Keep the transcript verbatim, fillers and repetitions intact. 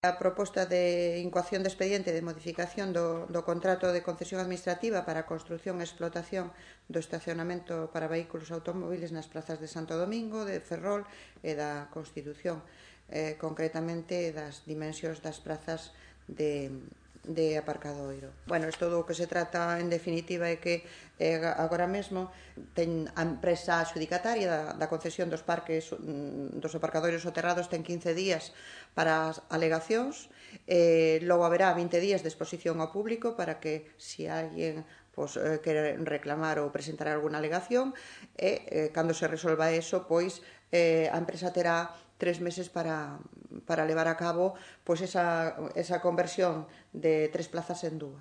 A proposta de incoación de expediente de modificación do, do contrato de concesión administrativa para a construción e explotación do estacionamento para vehículos automóviles nas plazas de Santo Domingo, de Ferrol e da Constitución, eh, concretamente das dimensións das plazas de, de aparcadoiro. Bueno, isto do que se trata en definitiva é que eh, agora mesmo ten a empresa adxudicataria da, da concesión dos parques dos aparcadoiros soterrados ten quince días para as alegacións, eh, logo haberá vinte días de exposición ao público para que se alguén pois, eh, quere reclamar ou presentar alguna alegación e eh, cando se resolva eso, pois eh, a empresa terá tres meses para, para levar a cabo pois esa, esa conversión de tres plazas en dúas.